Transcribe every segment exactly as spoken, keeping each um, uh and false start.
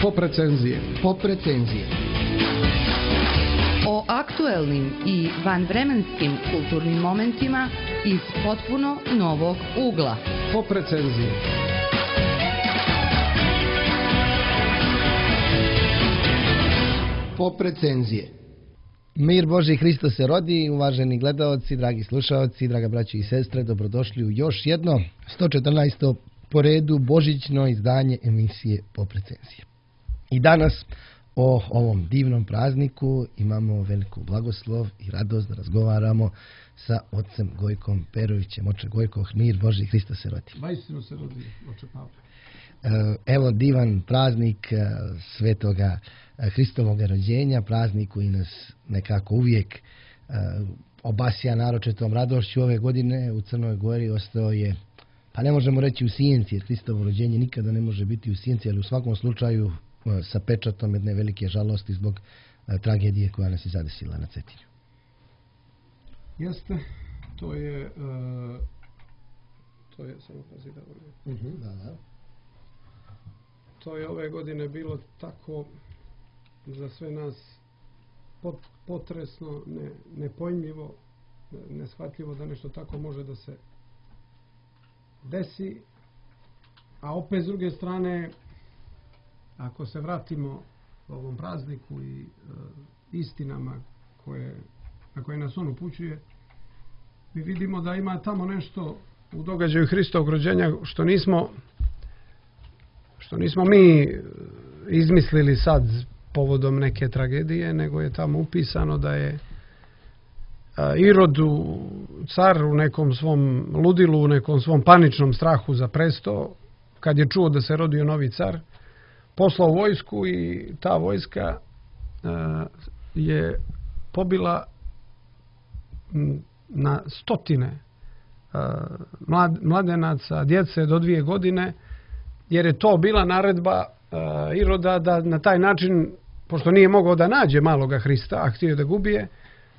Pop recenzije. Pop recenzije. O aktuelnim i vanvremenskim kulturnim momentima iz potpuno novog ugla. Pop recenzije. Pop recenzije. Mir Božji, Hristos se rodi, uvaženi gledaoci, dragi slušaoci, draga braći i sestre, dobrodošli u još jedno sto četrnaesto po redu božićno izdanje emisije Pop recenzije. I danas o ovom divnom prazniku imamo veliku blagoslov i radost da razgovaramo sa ocem Gojkom Perovićem. Oče Gojko, mir Božji, Hristos se rodi. Vaistinu se rodi, oče Pavle. Evo divan praznik svetoga Hristovoga rođenja, praznik koji nas nekako uvijek obasja naročitom radošću. Ove godine u Crnoj Gori ostao je, pa ne možemo reći u sjenci, jer Hristovo rođenje nikada ne može biti u sjenci, ali u svakom slučaju sa pečatom jedne velike žalosti zbog tragedije koja nas je zadesila na Cetinju. Jeste, to je, uh, to je, samo pazi da volim. Uh-huh. Da, da. To je ove godine bilo tako za sve nas pot, potresno, ne, nepojmljivo, neshvatljivo da nešto tako može da se desi. A opet s druge strane, ako se vratimo ovom prazniku i e, istinama koje, na koje nas on upućuje, mi vidimo da ima tamo nešto u događaju Hristovog rođenja što nismo što nismo mi izmislili sad povodom neke tragedije, nego je tamo upisano da je Irod, car, u nekom svom ludilu, u nekom svom paničnom strahu za presto, kad je čuo da se rodio novi car, poslao vojsku i ta vojska je pobila na stotine mladenaca, djece do dvije godine, jer je to bila naredba uh, Iroda da na taj način, pošto nije mogao da nađe maloga Hrista, a htio da gubije,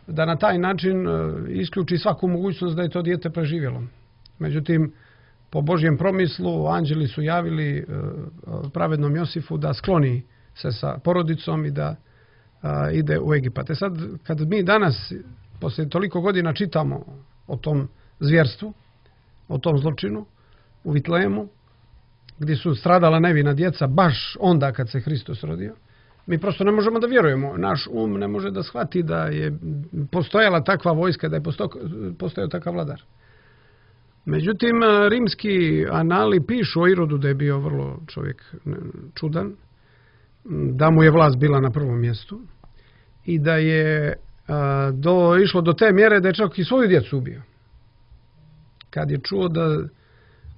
da na taj način uh, isključi svaku mogućnost da je to dijete preživjelo. Međutim, po Božjem promislu, anđeli su javili uh, pravednom Josifu da skloni se sa porodicom i da uh, ide u Egipat. E sad, kad mi danas, poslije toliko godina, čitamo o tom zvjerstvu, o tom zločinu u Vitlejemu, gdje su stradala nevina djeca baš onda kad se Hristos rodio, mi prosto ne možemo da vjerujemo. Naš um ne može da shvati da je postojala takva vojska, da je postojao takav vladar. Međutim, rimski anali pišu o Irodu da je bio vrlo čovjek čudan, da mu je vlast bila na prvom mjestu i da je a, do, išlo do te mjere da je čak i svoju djecu ubio. Kad je čuo da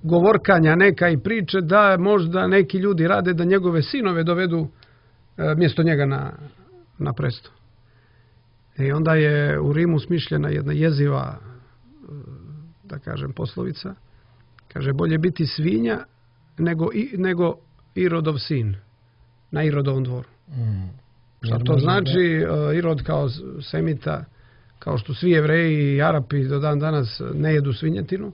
govorkanja neka i priče da možda neki ljudi rade da njegove sinove dovedu e, mjesto njega na, na presto. I onda je u Rimu smišljena jedna jeziva, da kažem, poslovica. Kaže, bolje biti svinja nego, i, nego Irodov sin na Irodovom dvoru. Mm. Što to znači? Da... Irod kao semita, kao što svi Jevreji i Arapi do dan danas ne jedu svinjetinu.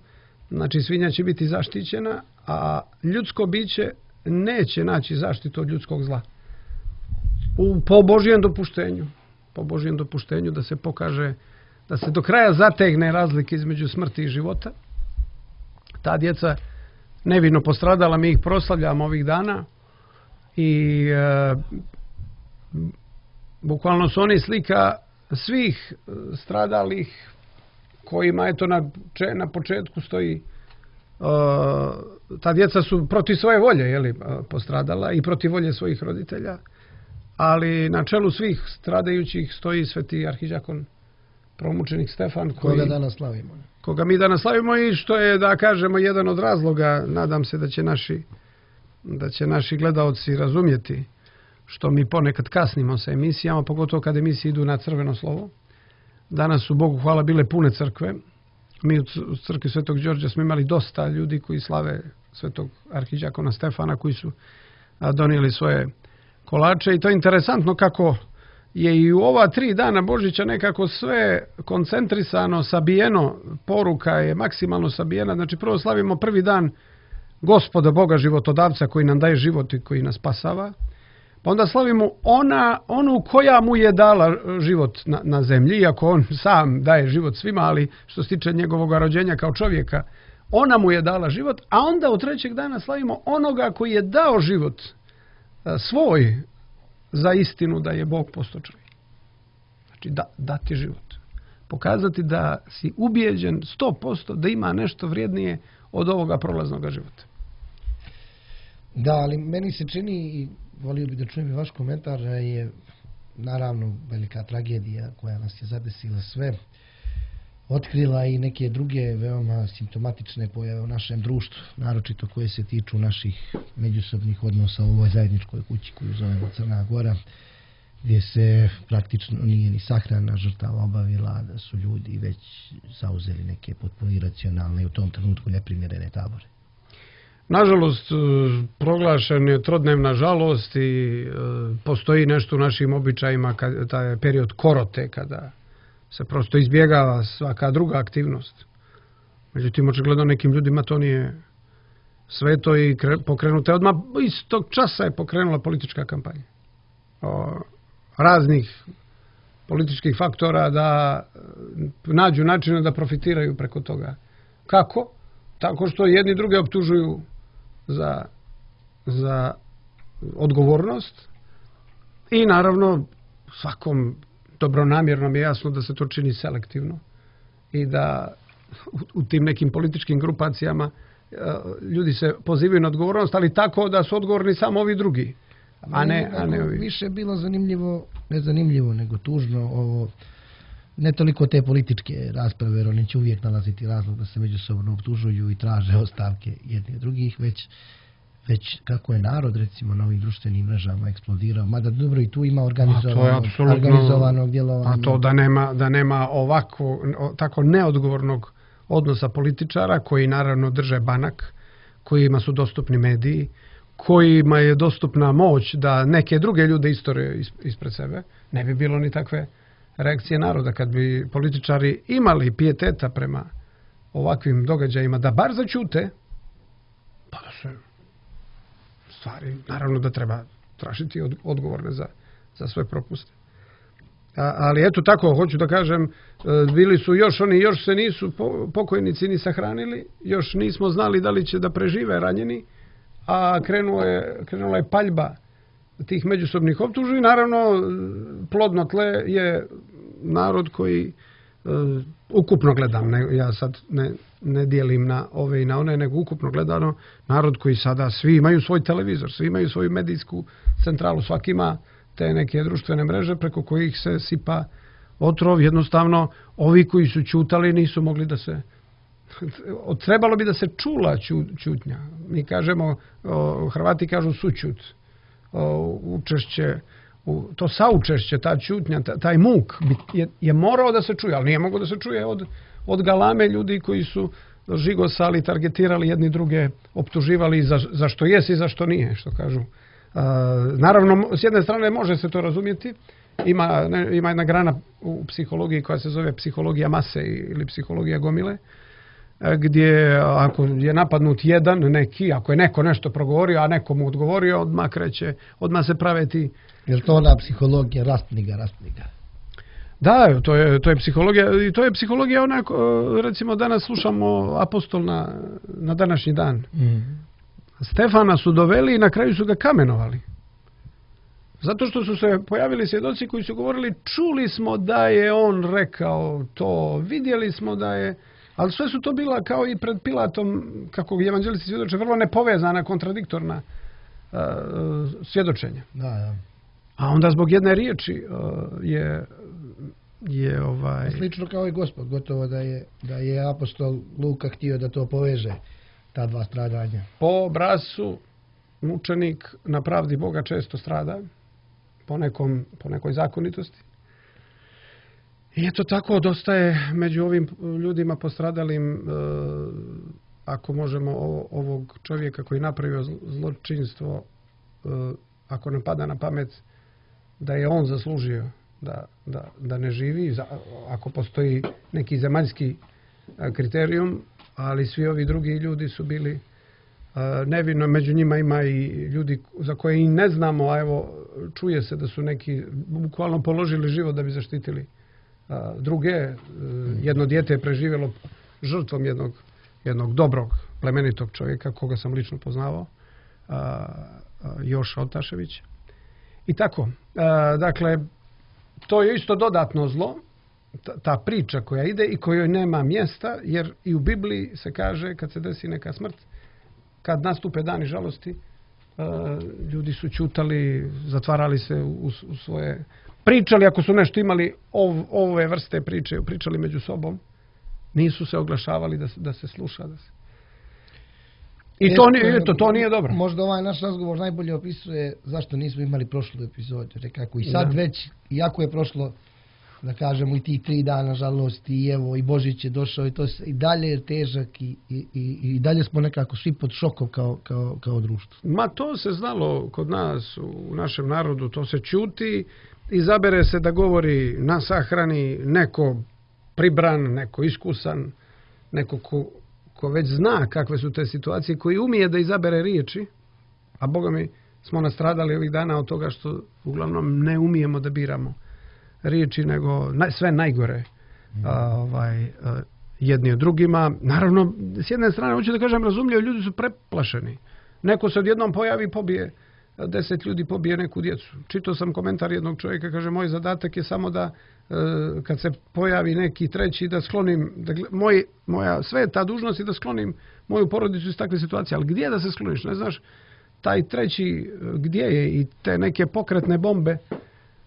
Znači, svinja će biti zaštićena, a ljudsko biće neće naći zaštitu od ljudskog zla. U, po Božjem dopuštenju. Po Božjem dopuštenju da se pokaže, da se do kraja zategne razlike između smrti i života. Ta djeca nevino postradala, mi ih proslavljamo ovih dana i e, bukvalno su oni slika svih stradalih kojima eto na, na početku stoji uh, ta djeca su protiv svoje volje, jeli, postradala i protiv volje svojih roditelja, ali na čelu svih stradajućih stoji sveti arhiđakon promučenik Stefan, koji, koga danas slavimo. Koga mi danas slavimo i što je, da kažemo, jedan od razloga, nadam se da će naši da će naši gledaoci razumjeti što mi ponekad kasnimo sa emisijama, pogotovo kad emisije idu na crveno slovo. Danas su, Bogu hvala, bile pune crkve. Mi u crkvi Svetog Đorđa smo imali dosta ljudi koji slave svetog arhiđakona Stefana, koji su donijeli svoje kolače. I to je interesantno kako je i u ova tri dana Božića nekako sve koncentrisano, sabijeno, poruka je maksimalno sabijena. Znači, prvo slavimo prvi dan Gospoda Boga životodavca koji nam daje život i koji nas spasava. Pa onda slavimo ona, onu koja mu je dala život na, na zemlji, iako on sam daje život svima, ali što se tiče njegovog rođenja kao čovjeka, ona mu je dala život, a onda od trećeg dana slavimo onoga koji je dao život svoj za istinu da je Bog postao čovjek. Znači da, dati život. Pokazati da si ubijeđen sto posto da ima nešto vrijednije od ovoga prolaznog života. Da, ali meni se čini, i volio bi da čujem i vaš komentar, da je naravno velika tragedija koja nas je zadesila sve, otkrila i neke druge veoma simptomatične pojave u našem društvu, naročito koje se tiču naših međusobnih odnosa u ovoj zajedničkoj kući koju zovemo Crna Gora, gdje se praktično nije ni sahrana žrtava obavila, da su ljudi već zauzeli neke potpuno iracionalne i u tom trenutku neprimjerene tabore. Nažalost, proglašen je trodnevna žalost i postoji nešto u našim običajima, kad, taj period korote, kada se prosto izbjegava svaka druga aktivnost. Međutim, očigledno nekim ljudima to nije sveto i pokrenuta. Odmah iz tog časa je pokrenula politička kampanja. O, raznih političkih faktora da nađu načine da profitiraju preko toga. Kako? Tako što jedni druge optužuju za, za odgovornost i naravno svakom dobronamjernom je jasno da se to čini selektivno i da u, u tim nekim političkim grupacijama ljudi se pozivaju na odgovornost, ali tako da su odgovorni samo ovi drugi, a ne, a ne ovi. Više je bilo zanimljivo, ne zanimljivo, nego tužno ovo, ne toliko te političke rasprave, jer oni će uvijek nalaziti razlog da se međusobno optužuju i traže ostavke jednih drugih, već, već kako je narod recimo na ovim društvenim mrežama eksplodirao, mada dobro i tu ima organizovanog, organizovanog djelovanja. A to da nema, da nema ovako, tako neodgovornog odnosa političara koji naravno drže banak, kojima su dostupni mediji, kojima je dostupna moć da neke druge ljude istorije ispred sebe, ne bi bilo ni takve reakcije naroda. Kad bi političari imali pijeteta prema ovakvim događajima, da bar začute, pa da se stvari, naravno da treba tražiti odgovorne za, za sve propuste. A, ali eto tako, hoću da kažem, bili su još oni, još se nisu pokojnici ni sahranili, još nismo znali da li će da prežive ranjeni, a krenuo je, krenula je paljba tih međusobnih optužbi. Naravno, plodno tle je narod koji uh, ukupno gledam, ne, ja sad ne, ne dijelim na ove i na one, nego ukupno gledano, narod koji sada svi imaju svoj televizor, svi imaju svoju medijsku centralu, svaki ima te neke društvene mreže preko kojih se sipa otrov. Jednostavno, ovi koji su ćutali nisu mogli da se... Trebalo bi da se čula ćutnja. Mi kažemo, o, Hrvati kažu sućut. O, učešće, u, to saučešće, ta ćutnja, taj muk je, je morao da se čuje, ali nije mogao da se čuje od, od galame ljudi koji su žigosali, targetirali jedni druge, optuživali za, za što jesi i za što nije, što kažu. A, naravno, s jedne strane može se to razumjeti. Ima, ne, ima jedna grana u psihologiji koja se zove psihologija mase ili psihologija gomile, gdje ako je napadnut jedan neki, ako je neko nešto progovorio, a neko mu odgovorio, odmah kreće, odmah se prave ti... Je li to ona psihologija rastniga, rastniga? Da, to je, to je psihologija, i to je psihologija onako, recimo danas slušamo apostol na, na današnji dan. Mm. Stefana su doveli i na kraju su ga kamenovali. Zato što su se pojavili svjedoci koji su govorili, čuli smo da je on rekao to, vidjeli smo da je... Ali sve su to bila kao i pred Pilatom, kako evanđelisti svjedoče, vrlo nepovezana, kontradiktorna uh, svjedočenja. Da, da. A onda zbog jedne riječi uh, je... je ovaj... Slično kao i Gospod, gotovo da je, da je apostol Luka htio da to poveže, ta dva stradanja. Po obrascu mučenik na pravdi Boga često strada, po, nekom, po nekoj zakonitosti. I eto tako, dosta je među ovim ljudima postradalim, e, ako možemo ovo, ovog čovjeka koji napravio zločinstvo, e, ako nam pada na pamet da je on zaslužio da, da, da ne živi, za, ako postoji neki zemaljski kriterijum, ali svi ovi drugi ljudi su bili e, nevino, među njima ima i ljudi za koje i ne znamo, a evo čuje se da su neki bukvalno položili život da bi zaštitili a, druge. Jedno dijete je preživjelo žrtvom jednog, jednog dobrog, plemenitog čovjeka, koga sam lično poznavao, a, a, Joša Otašević. I tako. A, dakle, to je isto dodatno zlo, ta, ta priča koja ide i kojoj nema mjesta, jer i u Bibliji se kaže kad se desi neka smrt, kad nastupe dani žalosti, ljudi su ćutali, zatvarali se u, u svoje, pričali ako su nešto imali ov, ove vrste priče, pričali među sobom, nisu se oglašavali da se, da se sluša. Da se... I to nije, to, to nije dobro. Možda ovaj naš razgovor najbolje opisuje zašto nismo imali prošlu epizodu. Rekako i sad da. Već, iako je prošlo, da kažemo, i tih tri dana žalosti, i evo, i Božić je došao, i to se, i dalje je težak, i, i, i dalje smo nekako svi pod šokom kao, kao, kao društvo. Ma to se znalo kod nas, u našem narodu, to se ćuti, izabere se da govori na sahrani neko pribran, neko iskusan, neko ko, ko već zna kakve su te situacije, koji umije da izabere riječi, a Boga mi smo nastradali ovih dana od toga što uglavnom ne umijemo da biramo riječi, nego sve najgore mm. a, ovaj, a, jedni od drugima. Naravno, s jedne strane, hoću da kažem, razumljivo, ljudi su preplašeni. Neko se odjednom pojavi i pobije, deset ljudi pobije neku djecu. Čitao sam komentar jednog čovjeka, kaže, moj zadatak je samo da, a, kad se pojavi neki treći, da sklonim, da, moj, moja sveta dužnost je da sklonim moju porodicu iz takve situacije. Ali gdje da se skloniš? Ne znaš, taj treći gdje je, i te neke pokretne bombe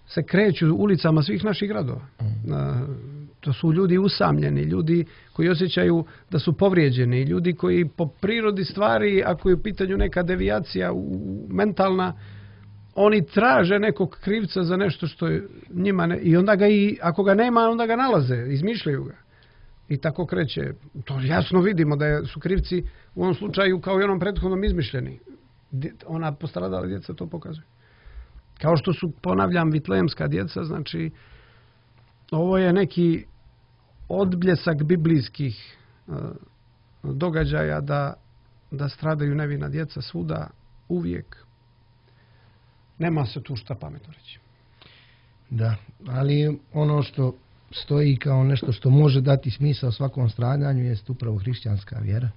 se kreću ulicama svih naših gradova. Mm. To su ljudi usamljeni, ljudi koji osjećaju da su povrijeđeni, ljudi koji po prirodi stvari, ako je u pitanju neka devijacija u, mentalna, oni traže nekog krivca za nešto što je njima ne, i onda ga i ako ga nema, onda ga nalaze, izmišljaju ga. I tako kreće. To jasno vidimo da su krivci u ovom slučaju kao i onom prethodnom izmišljeni. Ona postradala djeca to pokazuje. Kao što su, ponavljam, vitlejemska djeca, znači ovo je neki odbljesak biblijskih uh, događaja da, da stradaju nevina djeca svuda, uvijek. Nema se tu šta pametno reći. Da, ali ono što stoji kao nešto što može dati smisao svakom stradanju jest upravo hrišćanska vjera,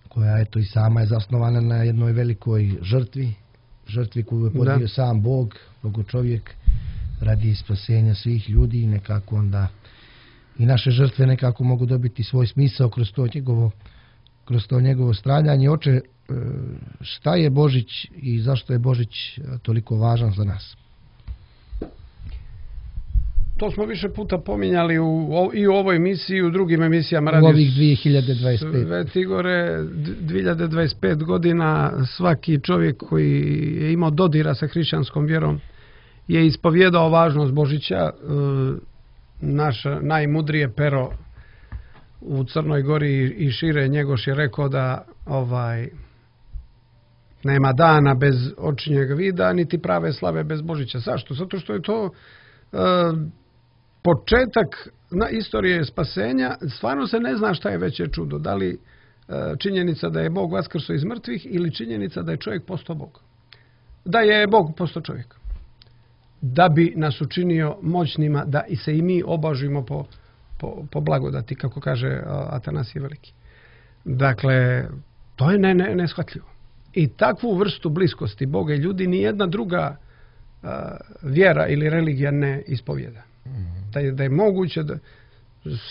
koja eto i sama je zasnovana na jednoj velikoj žrtvi, žrtvi koju je podnio da. sam Bog, Bogo čovjek, radi spasenja svih ljudi, i nekako onda i naše žrtve nekako mogu dobiti svoj smisao kroz to njegovo, kroz to njegovo stradanje. Oče, šta je Božić i zašto je Božić toliko važan za nas? To smo više puta pominjali u, i u ovoj emisiji, i u drugim emisijama. U ovih dvije hiljade dvadeset pet. Sveti Igore, dvije hiljade dvadeset pet godina svaki čovjek koji je imao dodira sa hrišćanskom vjerom je ispovjedao važnost Božića. Naš najmudrije pero u Crnoj Gori i šire, Njegoš, je rekao da ovaj nema dana bez očinjeg vida, niti prave slave bez Božića. Zašto? Zato što je to uh, početak na istorije spasenja. Stvarno se ne zna šta je veće čudo. Da li uh, činjenica da je Bog vaskrso iz mrtvih ili činjenica da je čovjek postao Bog. Da je Bog postao čovjek. Da bi nas učinio moćnima da i se i mi obožimo po, po, po blagodati, kako kaže uh, Atanasije Veliki. Dakle, to je ne, ne, neshvatljivo. I takvu vrstu bliskosti Boga i ljudi ni jedna druga uh, vjera ili religija ne ispovjeda. Mm-hmm. Da, je, da je moguće da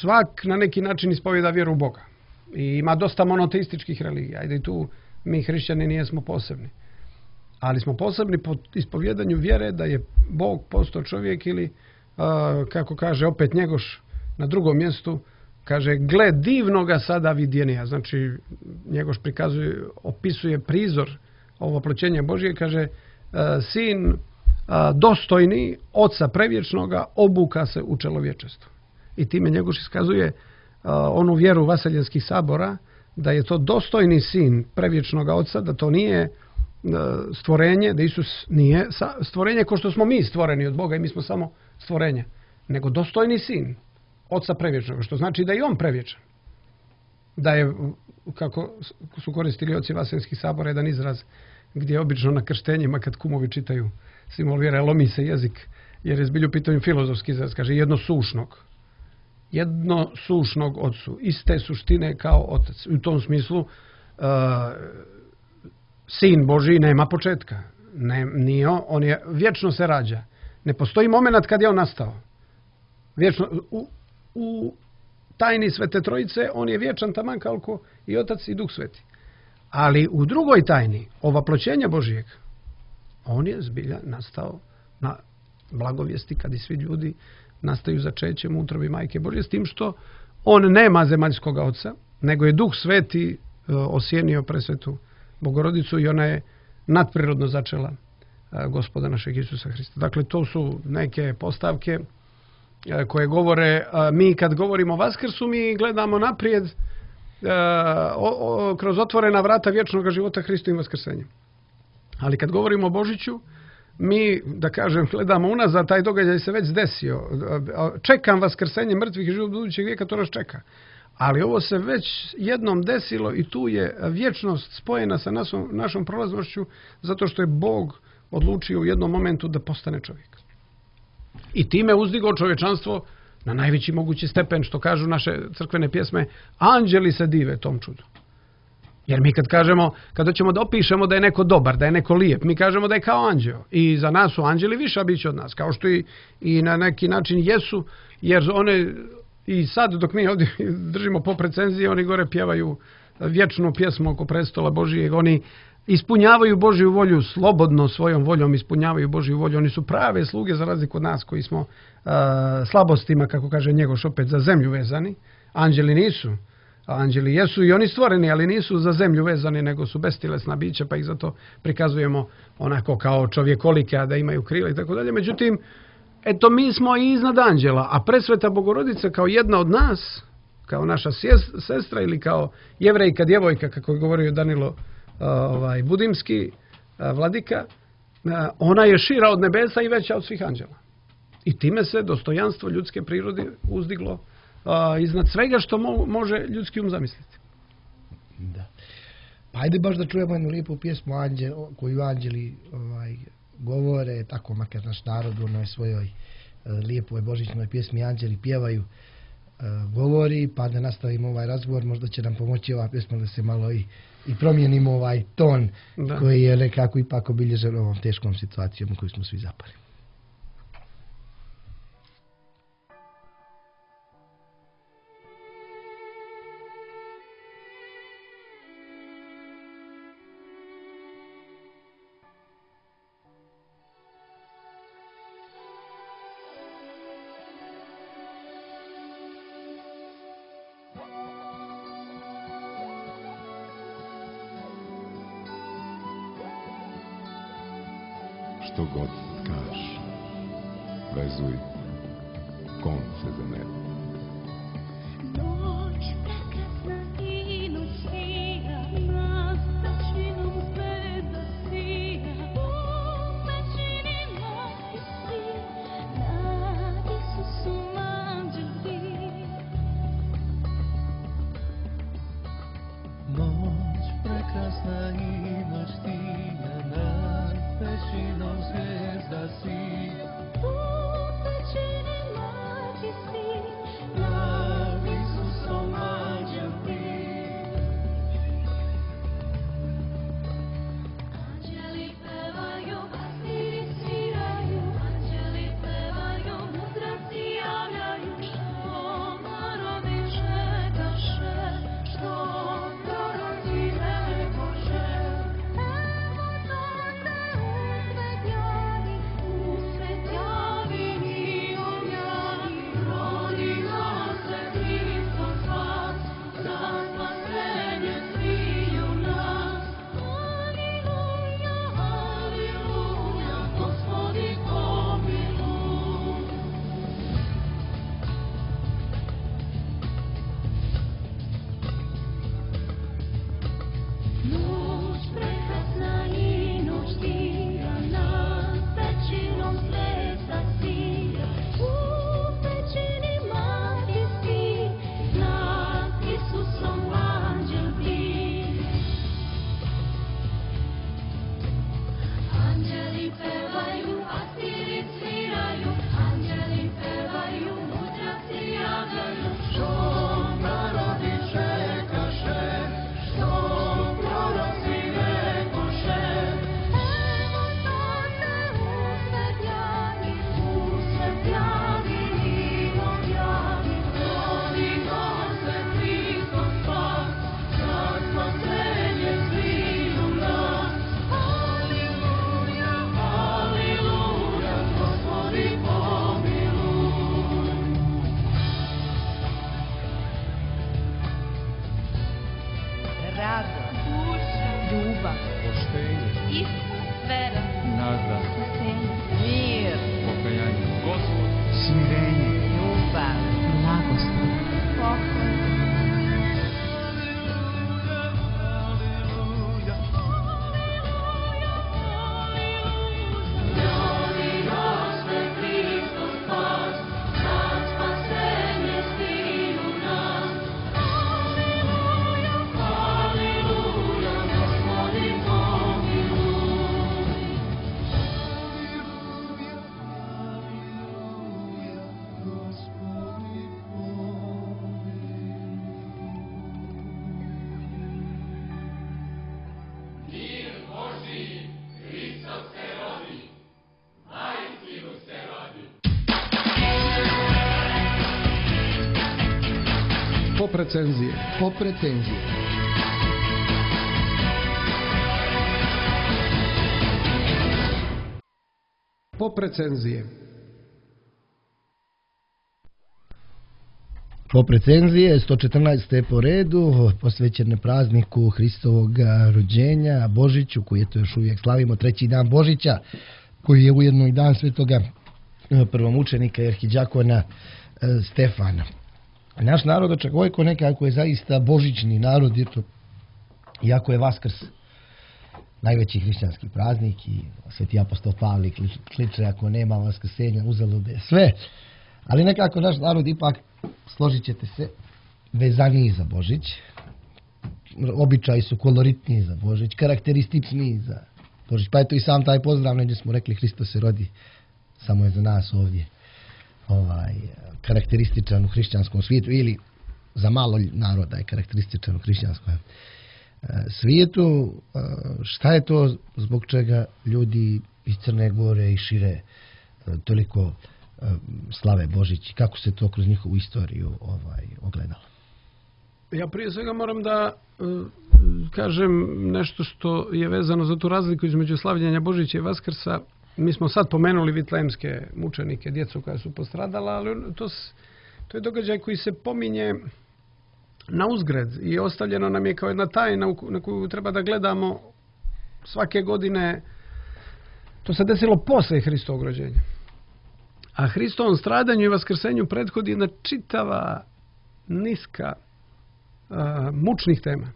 svak na neki način ispovjeda vjeru u Boga. I ima dosta monoteističkih religija. Ajde, i tu mi hrišćani nijesmo posebni. Ali smo posebni po ispovjedanju vjere da je Bog postao čovjek, ili uh, kako kaže opet Njegoš na drugom mjestu, kaže, gle divnoga sada vidjenija. Znači, Njegoš prikazuje, opisuje prizor ovoploćenja Božije, kaže, sin dostojni Oca prevječnoga obuka se u čelovječestvo. I time Njegoš iskazuje onu vjeru vaseljenskih sabora, da je to dostojni sin prevječnoga Oca, da to nije stvorenje, da Isus nije stvorenje kao što smo mi stvoreni od Boga i mi smo samo stvorenje, nego dostojni sin Oca prevječnog, što znači da je on prevječan. Da je, kako su koristili oci vaseljenskih sabora, jedan izraz gdje obično na krštenjima kad kumovi čitaju simbol vjere, lomi se jezik, jer je zbilju pitanju filozofski izraz, kaže jednosušnog. Jednosušnog ocu, iste suštine kao otac. U tom smislu uh, sin Božji nema početka. Ne, nije on, on je, vječno se rađa. Ne postoji moment kad je on nastao. Vječno, u, u tajni Svete Trojice on je vječan taman kao i Otac i Duh Sveti. Ali u drugoj tajni, ovaploćenja Božijeg, on je zbilja nastao na blagovijesti kad i svi ljudi nastaju začećem u utrobi Majke Božje, s tim što on nema zemaljskog oca, nego je Duh Sveti e, osjenio presvetu Bogorodicu i ona je nadprirodno začela e, Gospoda našeg Isusa Hrista. Dakle, to su neke postavke e, koje govore, a, mi kad govorimo o Vaskrsu, mi gledamo naprijed e, o, o, kroz otvorena vrata vječnog života Hristovim vaskrsenjem. Ali kad govorimo o Božiću, mi, da kažem, gledamo unazad, taj događaj se već desio. Čekam vaskrsenje mrtvih i život budućeg vijeka, to nas čeka. Ali ovo se već jednom desilo i tu je vječnost spojena sa našom, našom prolaznošću, zato što je Bog odlučio u jednom momentu da postane čovjek. I time uzdigao čovječanstvo na najveći mogući stepen, što kažu naše crkvene pjesme, anđeli se dive tom čudu. Jer mi kad kažemo, kada ćemo da opišemo da je neko dobar, da je neko lijep, mi kažemo da je kao anđeo. I za nas su anđeli viša bića od nas, kao što i, i na neki način jesu, jer one i sad dok mi ovdje držimo po recenziji, oni gore pjevaju vječnu pjesmu oko prestola Božijeg, oni ispunjavaju Božju volju, slobodno svojom voljom ispunjavaju Božju volju, oni su prave sluge za razliku od nas koji smo uh, slabostima, kako kaže Njegoš, opet za zemlju vezani. Anđeli nisu. Anđeli jesu i oni stvoreni, ali nisu za zemlju vezani, nego su bestilesna bića, pa ih zato prikazujemo onako kao čovjekolike, a da imaju krila i tako dalje. Međutim, eto, mi smo i iznad anđela, a presveta Bogorodica kao jedna od nas, kao naša sestra ili kao jevrejka, djevojka, kako je govorio Danilo ovaj, Budimski, vladika, ona je šira od nebesa i veća od svih anđela. I time se dostojanstvo ljudske prirode uzdiglo Uh, iznad svega što mo može ljudski um zamisliti. Da. Pa ajde baš da čujemo jednu lijepu pjesmu Anđel, koju anđeli ovaj, govore, tako makar naš narod u onoj svojoj uh, lijepoj božićnoj pjesmi Anđeli pjevaju, uh, govori, pa da nastavimo ovaj razgovor, možda će nam pomoći ova pjesma da se malo i, i promijenimo ovaj ton da. Koji je nekako ipak obilježen ovom teškom situacijom u koju smo svi zapali. Što god kaš, vezuj konce za nebo. Noć prekrasna i noć sija, nas većinom zvezda sija. U većini mati si, nad Isusom anđeli. Noć prekrasna i noć sija, nad većinom zvijezda si. U većini mati si, nad Isusom anđeli. anđeli pevaju, pastiri sviraju, anđeli pevaju, mudrosti javljaju, što narodi čekaše, što proroci ne Bože. ljubav, poštenje, iskra, vera, nada, spasenje, mir, pokajanje, Gospod, Smirenje. ljubav, blagoslov, pokoj. Pop recenzije. Pop recenzije. Pop recenzije. Pop recenzije, sto četrnaeste po redu, posvećene prazniku Hristovog rođenja, Božiću, koji je to još uvijek slavimo, treći dan Božića, koji je ujedno i dan svetoga prvomučenika i arhidjakona Stefana. Naš narod Očegovojko nekako je zaista božićni narod, jer to, iako je Vaskrs najveći hrišćanski praznik i sveti apostol Pavle kliče ako nema vaskrsenja uzalude sve, ali nekako naš narod ipak, složit ćete se, vezaniji za Božić, običaji su koloritniji za Božić, karakterističniji za Božić, pa eto i sam taj pozdrav, negdje smo rekli Hristos se rodi, samo je za nas ovdje ovaj, karakterističan u hrišćanskom svijetu, ili za malo naroda je karakterističan u hrišćanskom svijetu. Šta je to zbog čega ljudi iz Crne Gore i šire toliko slave Božić, kako se to kroz njihovu istoriju ovaj, ogledalo? Ja prije svega moram da uh, kažem nešto što je vezano za tu razliku između slavljenja Božića i Vaskrsa. Mi smo sad pomenuli vitlejemske mučenike, djecu koja su postradala, ali to, to je događaj koji se pominje na uzgred i ostavljeno nam je kao jedna tajna na koju treba da gledamo svake godine. To se desilo posle Hristovog rođenja. A Hristovom stradanju i vaskrsenju prethodi jedna čitava niska uh, mučnih tema.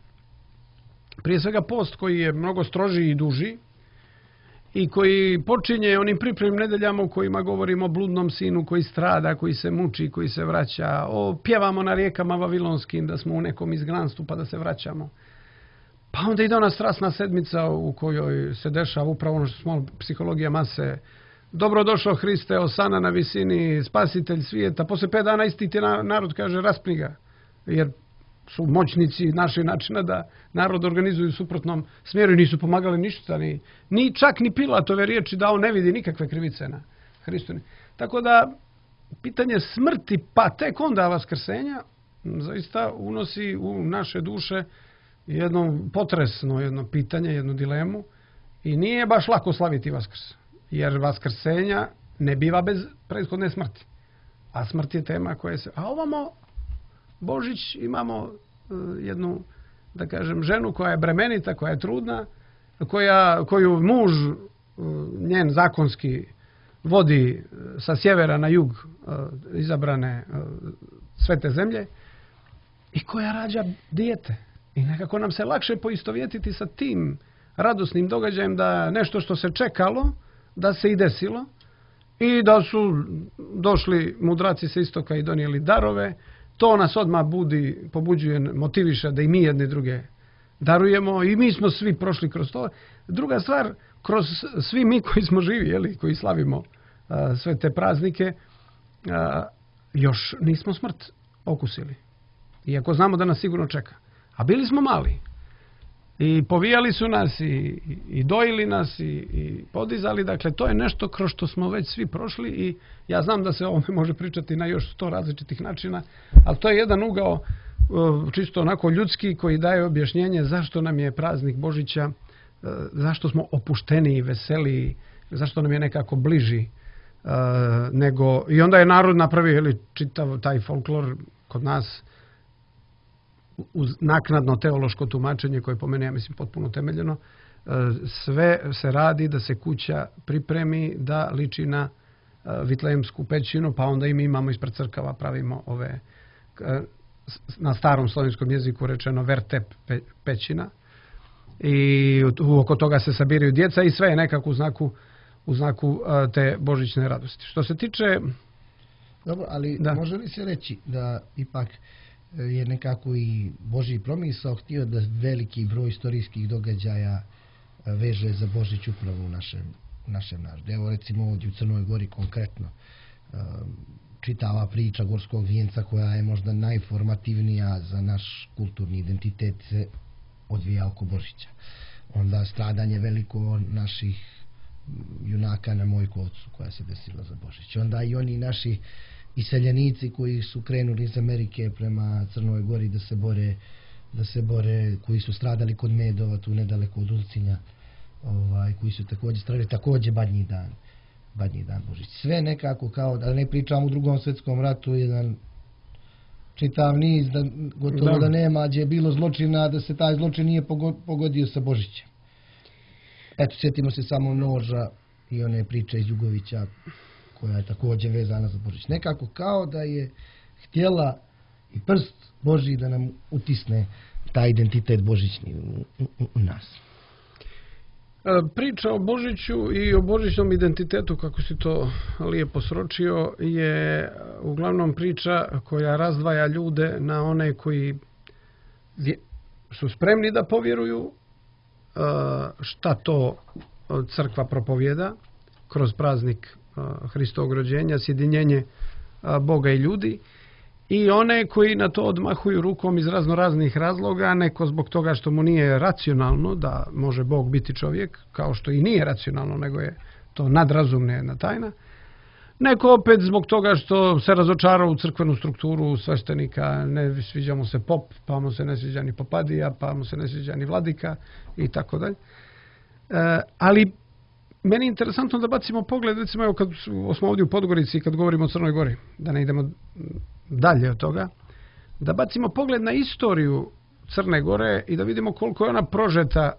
Prije svega post koji je mnogo strožiji i duži i koji počinje onim pripremnim nedeljama u kojima govorimo o bludnom sinu koji strada, koji se muči, koji se vraća, o pjevamo na rijekama vavilonskim da smo u nekom izgnanstvu pa da se vraćamo. Pa onda ide ona strasna sedmica u kojoj se dešava upravo ono što smo psihologija mase. Dobrodošao Hriste, osana na visini, spasitelj svijeta. Posle pet dana isti ti narod kaže raspni ga, jer su moćnici našli načina da narod organizuju u suprotnom smjeru i nisu pomagali ništa, ni, ni čak ni Pilatove riječi da on ne vidi nikakve krivice na Hristu. Tako da pitanje smrti pa tek onda vaskrsenja zaista unosi u naše duše jedno potresno jedno pitanje, jednu dilemu i nije baš lako slaviti Vaskrs, jer vaskrsenja ne biva bez prethodne smrti, a smrt je tema koja se... A ovamo Božić imamo uh, jednu, da kažem, ženu koja je bremenita, koja je trudna, koja, koju muž uh, njen zakonski vodi uh, sa sjevera na jug uh, izabrane uh, svete zemlje i koja rađa dijete. I nekako nam se lakše poistovjetiti sa tim radosnim događajem da nešto što se čekalo, da se i desilo i da su došli mudraci sa istoka i donijeli darove. To nas odmah budi, pobuđuje, motiviše da i mi jedne druge darujemo i mi smo svi prošli kroz to. Druga stvar, kroz svi mi koji smo živi, jeli, koji slavimo a, sve te praznike, a, još nismo smrt okusili. Iako znamo da nas sigurno čeka. A bili smo mali. I povijali su nas i, i, i dojili nas i, i podizali. Dakle, to je nešto kroz što smo već svi prošli i ja znam da se o ovome može pričati na još sto različitih načina, ali to je jedan ugao čisto onako ljudski koji daje objašnjenje zašto nam je praznik Božića, zašto smo opušteniji, veseliji, zašto nam je nekako bliži nego... I onda je narod napravio ili čitav taj folklor kod nas uz naknadno teološko tumačenje koje po meni, ja mislim, potpuno temeljeno, sve se radi da se kuća pripremi da liči na Vitlejemsku pećinu, pa onda i mi imamo ispred crkava, pravimo ove, na starom slovenskom jeziku rečeno vertep pećina, i oko toga se sabiraju djeca i sve je nekako u znaku, u znaku te božićne radosti. Što se tiče... Dobro, ali da. Može li se reći da ipak je nekako i Božji promisao htio da veliki broj istorijskih događaja veže za Božić upravo u našem, našem narodu? Evo recimo ovdje u Crnoj Gori konkretno čitava priča Gorskog vijenca, koja je možda najformativnija za naš kulturni identitet, se odvija oko Božića. Onda stradanje veliko naših junaka na Mojkovcu koja se desila za Božić. Onda i oni naši iseljenici koji su krenuli iz Amerike prema Crnoj Gori da se bore, da se bore, koji su stradali kod Medova, tu nedaleko od Ulcinja, ovaj, koji su također stradali, također Badnji dan. Badnji dan Božić. Sve nekako kao, da ne pričam u Drugom svjetskom ratu, jedan čitav niz, da, gotovo da, da nema gdje je bilo zločina, da se taj zločin nije pogodio sa Božićem. Eto, sjetimo se samo noža i one priče iz Jugovića, koja je također vezana za Božić. Nekako kao da je htjela i prst Božji da nam utisne taj identitet božićni u, u, u nas. Priča o Božiću i o božićnom identitetu, kako si to lijepo sročio, je uglavnom priča koja razdvaja ljude na one koji su spremni da povjeruju šta to crkva propovjeda kroz praznik Hristovog rođenja, sjedinjenje Boga i ljudi, i one koji na to odmahuju rukom iz razno raznih razloga, neko zbog toga što mu nije racionalno da može Bog biti čovjek, kao što i nije racionalno, nego je to nadrazumna jedna tajna. Neko opet zbog toga što se razočarao u crkvenu strukturu sveštenika, ne sviđa mu se pop, pa mu se ne sviđa ni popadija, pa mu se ne sviđa ni vladika i tako dalje. Ali meni je interesantno da bacimo pogled, recimo evo kad smo ovdje u Podgorici, kad govorimo o Crnoj Gori, da ne idemo dalje od toga, da bacimo pogled na istoriju Crne Gore i da vidimo koliko je ona prožeta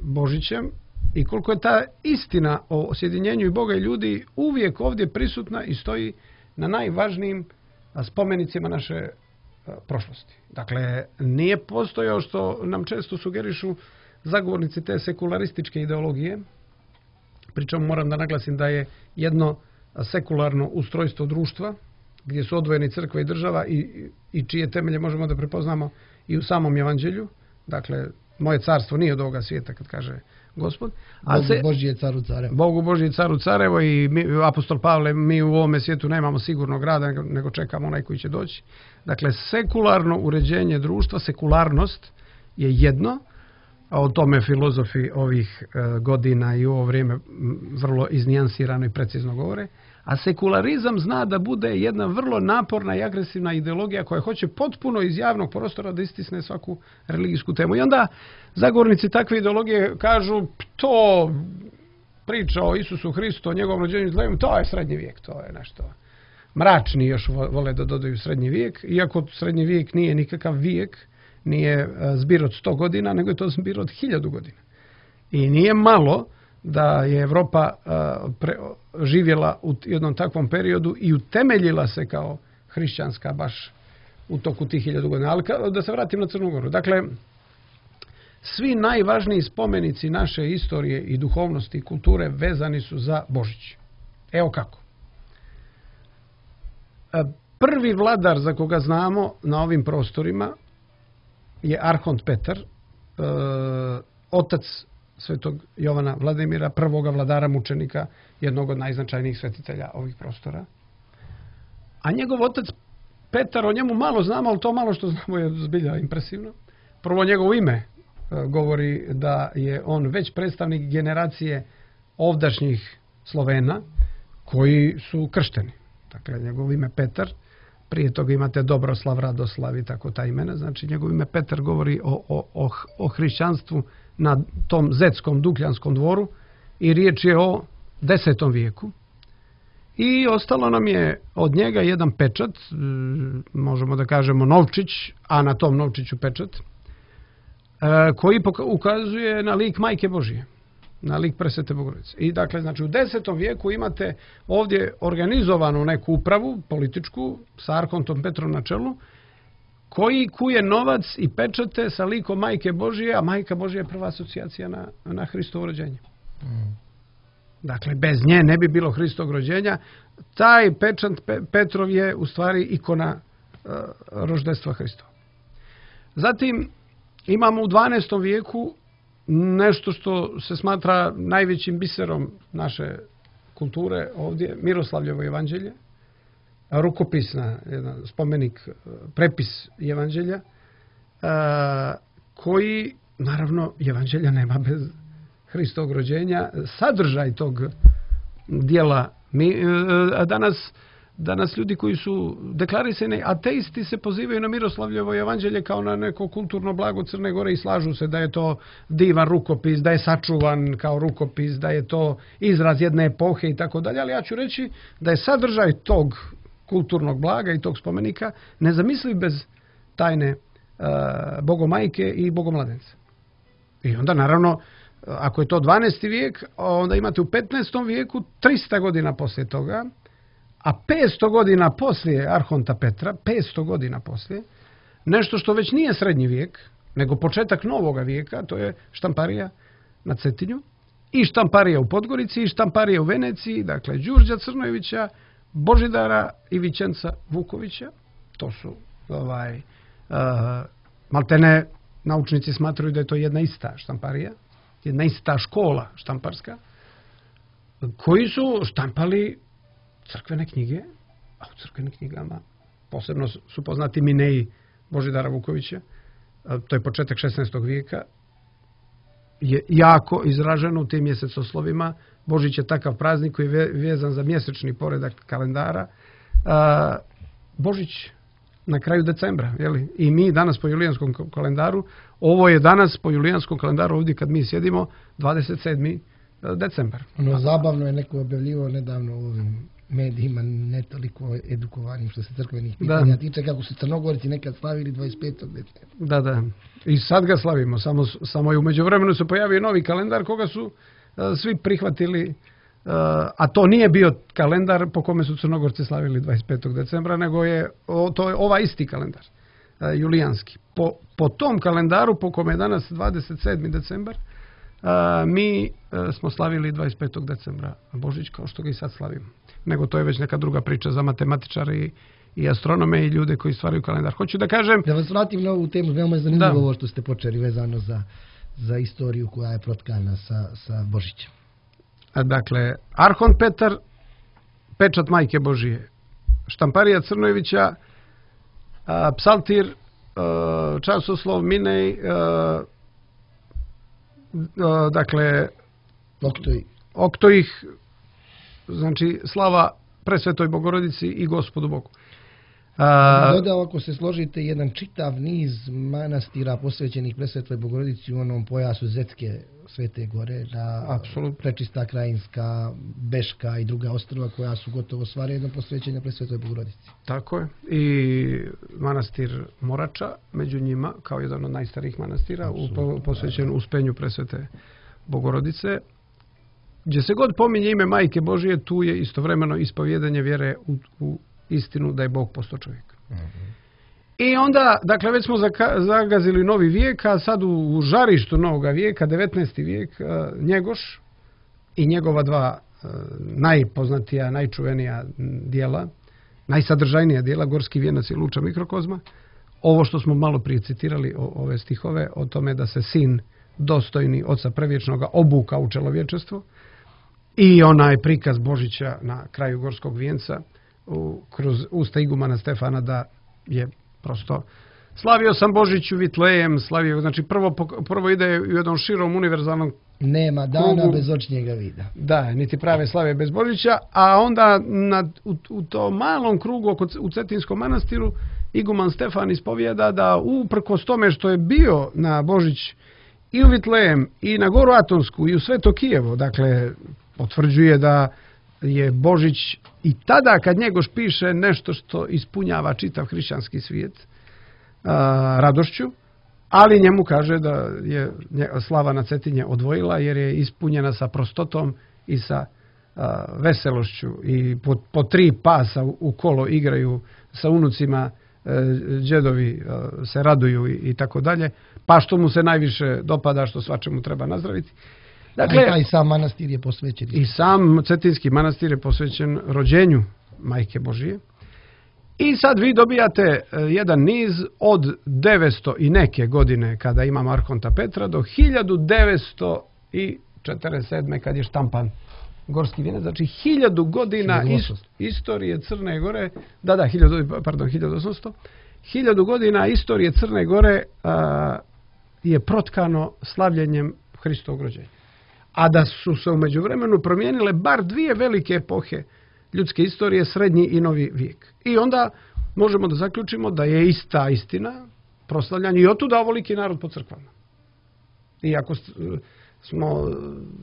Božićem i koliko je ta istina o sjedinjenju i Boga i ljudi uvijek ovdje prisutna i stoji na najvažnijim spomenicima naše prošlosti. Dakle, nije postojao, što nam često sugerišu zagovornici te sekularističke ideologije. Pričom moram da naglasim da je jedno sekularno ustrojstvo društva gdje su odvojeni crkva i država i, i čije temelje možemo da prepoznamo i u samom evanđelju. Dakle, moje carstvo nije od ovoga svijeta, kad kaže Gospod. A Bogu se, Božji je caru carevo. Bogu Božji je caru carevo i mi, apostol Pavle, mi u ovome svijetu nemamo sigurnog rada, nego, nego čekamo onaj koji će doći. Dakle, sekularno uređenje društva, sekularnost je jedno, a o tome filozofi ovih e, godina i u ovo vrijeme vrlo iznijansirano i precizno govore. A sekularizam zna da bude jedna vrlo naporna i agresivna ideologija koja hoće potpuno iz javnog prostora da istisne svaku religijsku temu. I onda zagovornici takve ideologije kažu, to priča o Isusu Hristu, o njegovom rođenju i zlemu, to je srednji vijek, to je nešto. Mračni još vole da dodaju srednji vijek, iako srednji vijek nije nikakav vijek, nije zbir od sto godina, nego je to zbir od hiljadu godina. I nije malo da je Evropa uh, pre, živjela u jednom takvom periodu i utemeljila se kao hrišćanska baš u toku tih hiljadu godina. Ali ka, da se vratim na Crnu Goru. Dakle, svi najvažniji spomenici naše istorije i duhovnosti i kulture vezani su za Božić. Evo kako. Prvi vladar za koga znamo na ovim prostorima je Arhont Petar, uh, otac svetog Jovana Vladimira, prvoga vladara mučenika, jednog od najznačajnijih svetitelja ovih prostora. A njegov otac Petar, o njemu malo znamo, ali to malo što znamo je zbilja impresivno. Prvo, njegovo ime e, govori da je on već predstavnik generacije ovdašnjih Slovena koji su kršteni. Dakle, njegovo ime Petar, prije toga imate Dobroslav, Radoslav i tako ta imena. Znači, njegovo ime Petar govori o, o, o, o hrišćanstvu na tom zetskom Dukljanskom dvoru i riječ je o desetom vijeku. I ostalo nam je od njega jedan pečat, možemo da kažemo novčić, a na tom novčiću pečat, koji ukazuje na lik Majke Božije, na lik Presvete Bogorodice. I dakle, znači u desetom vijeku imate ovdje organizovanu neku upravu političku sa arhontom Petrom na čelu, koji kuje novac i pečate sa likom Majke Božije, a Majka Božija je prva asocijacija na, na Hristovo rođenje. Mm. Dakle, bez nje ne bi bilo Hristovog rođenja. Taj pečat Pe, Petrov je u stvari ikona uh, roždestva Hristova. Zatim imamo u dvanaestom vijeku nešto što se smatra najvećim biserom naše kulture ovdje, Miroslavljevo evanđelje, rukopisna, jedan spomenik, prepis evanđelja, koji, naravno, evanđelja nema bez Hristovog rođenja. Sadržaj tog dijela, mi, danas, danas ljudi koji su deklarisani ateisti se pozivaju na Miroslavljevo evanđelje kao na neko kulturno blago Crne Gore i slažu se da je to divan rukopis, da je sačuvan kao rukopis, da je to izraz jedne epohe i tako dalje, ali ja ću reći da je sadržaj tog kulturnog blaga i tog spomenika nezamisliv bez tajne uh, Bogomajke i Bogomladence. I onda naravno, ako je to dvanaesti vijek, onda imate u petnaestom vijeku trista godina poslije toga, a petsto godina poslije arhonta Petra, petsto godina poslije, nešto što već nije srednji vijek, nego početak novoga vijeka, to je štamparija na Cetinju, i štamparija u Podgorici, i štamparija u Veneciji, dakle Đurđa Crnojevića, Božidara i Vićenca Vukovića. To su ovaj, uh, maltene naučnici smatraju da je to jedna ista štamparija, jedna ista škola štamparska, koji su štampali crkvene knjige, a u crkvenim knjigama posebno su poznati Mineji Božidara Vukovića, to je početak šesnaestog vijeka, je jako izraženo u tim mjesecoslovima. Božić je takav praznik koji je vezan za mjesečni poredak kalendara. Božić na kraju decembra, jeli? I mi danas po julijanskom kalendaru, ovo je danas po julijanskom kalendaru ovdje kad mi sjedimo, dvadeset sedmi decembar. Ono zabavno je neko objavljivao nedavno u ovim medijima, ne toliko edukovanim što se crkvenih pitanja tiče, kako su Crnogorci nekad slavili dvadeset petog decembra. Da, da. I sad ga slavimo, samo, samo je u međuvremenu se pojavio novi kalendar koga su uh, svi prihvatili, uh, a to nije bio kalendar po kome su Crnogorci slavili dvadeset petog decembra, nego je, o, to je ovaj isti kalendar, uh, julijanski. Po, po tom kalendaru, po kome je danas dvadeset sedmi decembar, uh, mi uh, smo slavili dvadeset petog decembra Božić kao što ga i sad slavimo. Nego to je već neka druga priča za matematičare i, i astronome i ljude koji stvaraju kalendar. Hoću da kažem... Da vas vratim na ovu temu, veoma je zanimljivo ovo što ste počeli vezano za, za istoriju koja je protkana sa, sa Božićem. Dakle, arhont Petar, pečat Majke Božije, štamparija Crnojevića, a, psaltir, a, časoslov Minej, a, a, dakle... Oktoj. Oktojih, znači slava Presvetoj Bogorodici i Gospodu Bogu. A, dodao, ako se složite, jedan čitav niz manastira posvećenih Presvetoj Bogorodici u onom pojasu Zetske Svete Gore, na apsolutno Prečista Krajinska, Beška i druga ostrva koja su gotovo sva redom posvećena Presvetoj Bogorodici. Tako je. I manastir Morača među njima, kao jedan od najstarijih manastira, u, posvećen uspenju Presvete Bogorodice. Gdje se god pominje ime Majke Božije, tu je istovremeno ispovjedanje vjere u, u istinu da je Bog postao čovjek. Mm-hmm. I onda, dakle, već smo zaka, zagazili novi vijek, a sad u, u žarištu novoga vijeka, devetnaesti vijek, uh, Njegoš i njegova dva uh, najpoznatija, najčuvenija dijela, najsadržajnija dijela, Gorski vijenac i Luča mikrokozma. Ovo što smo malo prije citirali, o, ove stihove, o tome da se sin dostojni Oca Prevječnoga obuka u čelovječestvo, i onaj prikaz Božića na kraju Gorskog vijenca u, kroz usta igumana Stefana da je prosto slavio sam Božić u Vitlejem, slavio, znači prvo, prvo ide u jednom širom univerzalnom nema dana krugu, bez očnjega vida. Da, niti prave slave bez Božića, a onda na, u, u tom malom krugu oko, u Cetinskom manastiru iguman Stefan ispovijeda da uprkos tome što je bio na Božić i u Vitlejem, i na Goru Atonsku, i u Sveto Kijevo, dakle, potvrđuje da je Božić i tada kad Njegoš piše nešto što ispunjava čitav hrišćanski svijet a, radošću, ali njemu kaže da je slava na Cetinje odvojila jer je ispunjena sa prostotom i sa a, veselošću i po, po tri pasa u, u kolo igraju sa unucima, đedovi se raduju i, i tako dalje, pa što mu se najviše dopada, što svačemu treba nazdraviti. Dakle, a i sam manastir je posvećen. I sam Cetinski manastir je posvećen rođenju Majke Božije. I sad vi dobijate jedan niz od devetsto i neke godine kada imamo Arhonta Petra do hiljadu devetsto četrdeset sedme kad je štampan Gorski vijenac, znači hiljadu godina is, istorije Crne Gore, da, da, hiljadu, pardon, hiljadu osamsto, hiljadu godina istorije Crne Gore a, je protkano slavljenjem Hristovog rođenja. A da su se u međuvremenu promijenile bar dvije velike epohe ljudske istorije, srednji i novi vijek. I onda možemo da zaključimo da je ista istina proslavljanje i otuda ovoliki narod po crkvama. Iako smo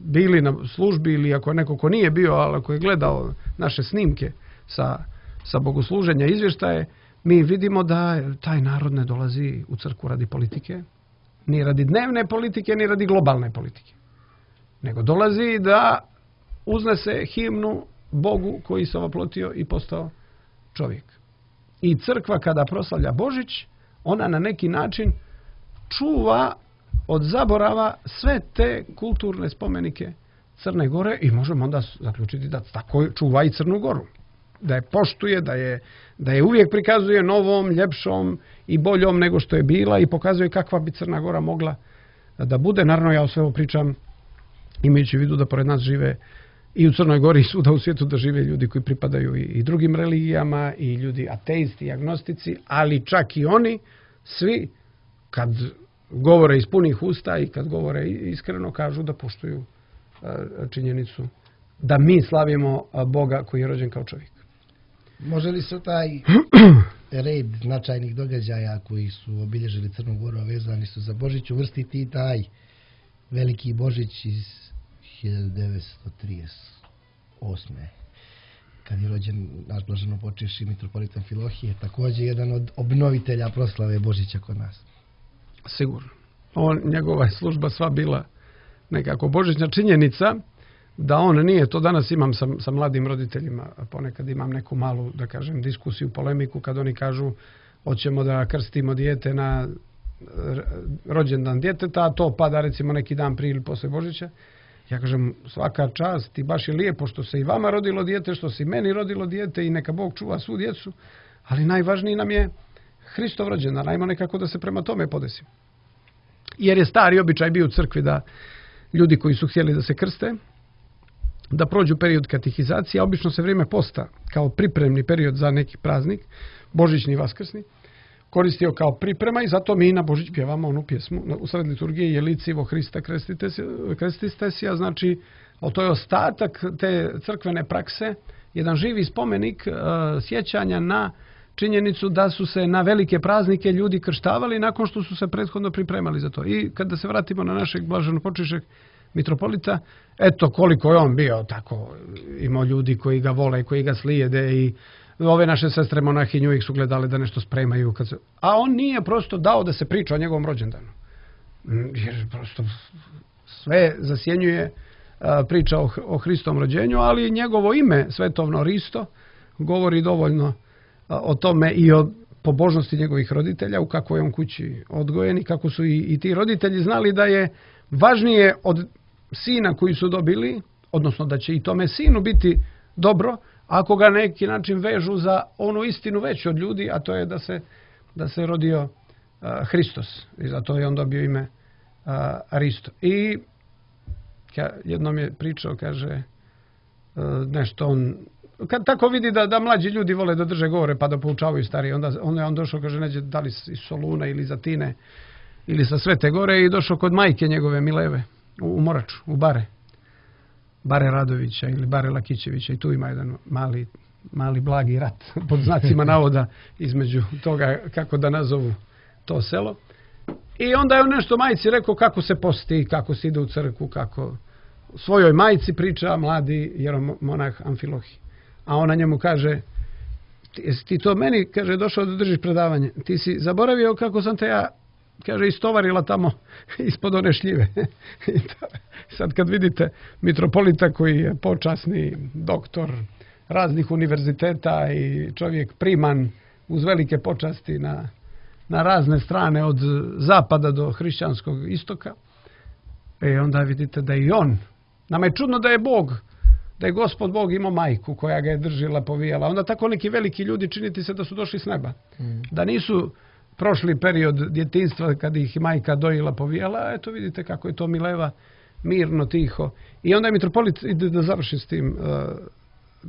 bili na službi ili ako neko ko nije bio, ali ako je gledao naše snimke sa, sa bogosluženja izvještaje, mi vidimo da taj narod ne dolazi u crkvu radi politike, ni radi dnevne politike, ni radi globalne politike. Nego dolazi da uznese himnu Bogu koji se oplotio i postao čovjek. I crkva kada proslavlja Božić, ona na neki način čuva od zaborava sve te kulturne spomenike Crne Gore i možemo onda zaključiti da tako čuva i Crnu Goru. Da je poštuje, da je, da je uvijek prikazuje novom, ljepšom i boljom nego što je bila i pokazuje kakva bi Crna Gora mogla da bude. Naravno, ja o sve ovo pričam imajući u vidu da pored nas žive i u Crnoj Gori i svuda u svijetu da žive ljudi koji pripadaju i, i drugim religijama i ljudi ateisti i agnostici, ali čak i oni svi kad govore iz punih usta i kad govore iskreno kažu da poštuju činjenicu da mi slavimo Boga koji je rođen kao čovjek. Može li se taj red značajnih događaja koji su obilježili Crnu Goru, vezani su za Božić, uvrstiti i taj veliki Božić iz hiljadu devetsto trideset osme kad je rođen naš blaženopočivši mitropolitan Filohije, također jedan od obnovitelja proslave Božića kod nas? Sigurno. On, njegova je služba sva bila nekako božićna. Činjenica da on nije, to danas imam sa, sa mladim roditeljima, ponekad imam neku malu, da kažem, diskusiju, polemiku, kad oni kažu hoćemo da krstimo dijete na rođendan djeteta, a to pada recimo neki dan prije ili posle Božića. Ja kažem, svaka čast i baš je lijepo što se i vama rodilo dijete, što se i meni rodilo dijete i neka Bog čuva svu djecu, ali najvažniji nam je Hristov rođendan, ajmo nekako da se prema tome podesimo. Jer je stari običaj bio u crkvi da ljudi koji su htjeli da se krste, da prođu period katehizacije, a obično se vrijeme posta kao pripremni period za neki praznik, božićni i vaskrsni, koristio kao priprema i zato mi na Božić pjevamo onu pjesmu u sred liturgije Jelici vo Hrista krestiste si, a znači to je ostatak te crkvene prakse, jedan živi spomenik uh, sjećanja na činjenicu da su se na velike praznike ljudi krštavali nakon što su se prethodno pripremali za to. I kada se vratimo na našeg blaženopočivšeg mitropolita, eto koliko je on bio tako, imao ljudi koji ga vole, koji ga slijede i ove naše sestre monahinje uvijek su gledale da nešto spremaju. Kad se... A on nije prosto dao da se priča o njegovom rođendanu. Jer prosto sve zasjenjuje a, priča o, o Hristovom rođenju, ali njegovo ime, svetovno Risto, govori dovoljno a, o tome i o pobožnosti njegovih roditelja, u kakvoj je on kući odgojen i kako su i, i ti roditelji znali da je važnije od sina koji su dobili, odnosno da će i tome sinu biti dobro, ako ga na neki način vežu za onu istinu veću od ljudi, a to je da se, da se rodio uh, Hristos. I zato je on dobio ime uh, Risto. I ka, jednom je pričao, kaže, uh, nešto on, kad tako vidi da, da mlađi ljudi vole da drže govore pa da poučavaju stariji, onda, onda je on došao, kaže, neđe da li iz Soluna ili Zatine ili sa Svete Gore i došao kod majke njegove Mileve u, u Moraču, u Bare. Bare Radovića ili Bare Lakićevića i tu ima jedan mali, mali blagi rat pod znacima navoda između toga kako da nazovu to selo. I onda je on nešto majci rekao kako se posti, kako se ide u crkvu, kako svojoj majci priča mladi jeromonah Amfilohi. A ona njemu kaže, ti, jesi ti to meni, kaže, došao da držiš predavanje. Ti si zaboravio kako sam te ja, kaže, istovarila tamo ispod one šljive. I to, sad kad vidite mitropolita koji je počasni doktor raznih univerziteta i čovjek priman uz velike počasti na, na razne strane od zapada do hrišćanskog istoka, e onda vidite da i on, nama je čudno da je Bog, da je Gospod Bog imao majku koja ga je držila, povijala. Onda tako neki veliki ljudi činiti se da su došli s neba. Mm. Da nisu prošli period djetinjstva kad ih majka dojila, povijala, eto vidite kako je to mileva, mirno, tiho. I onda je mitropolit, ide da završi s tim, uh,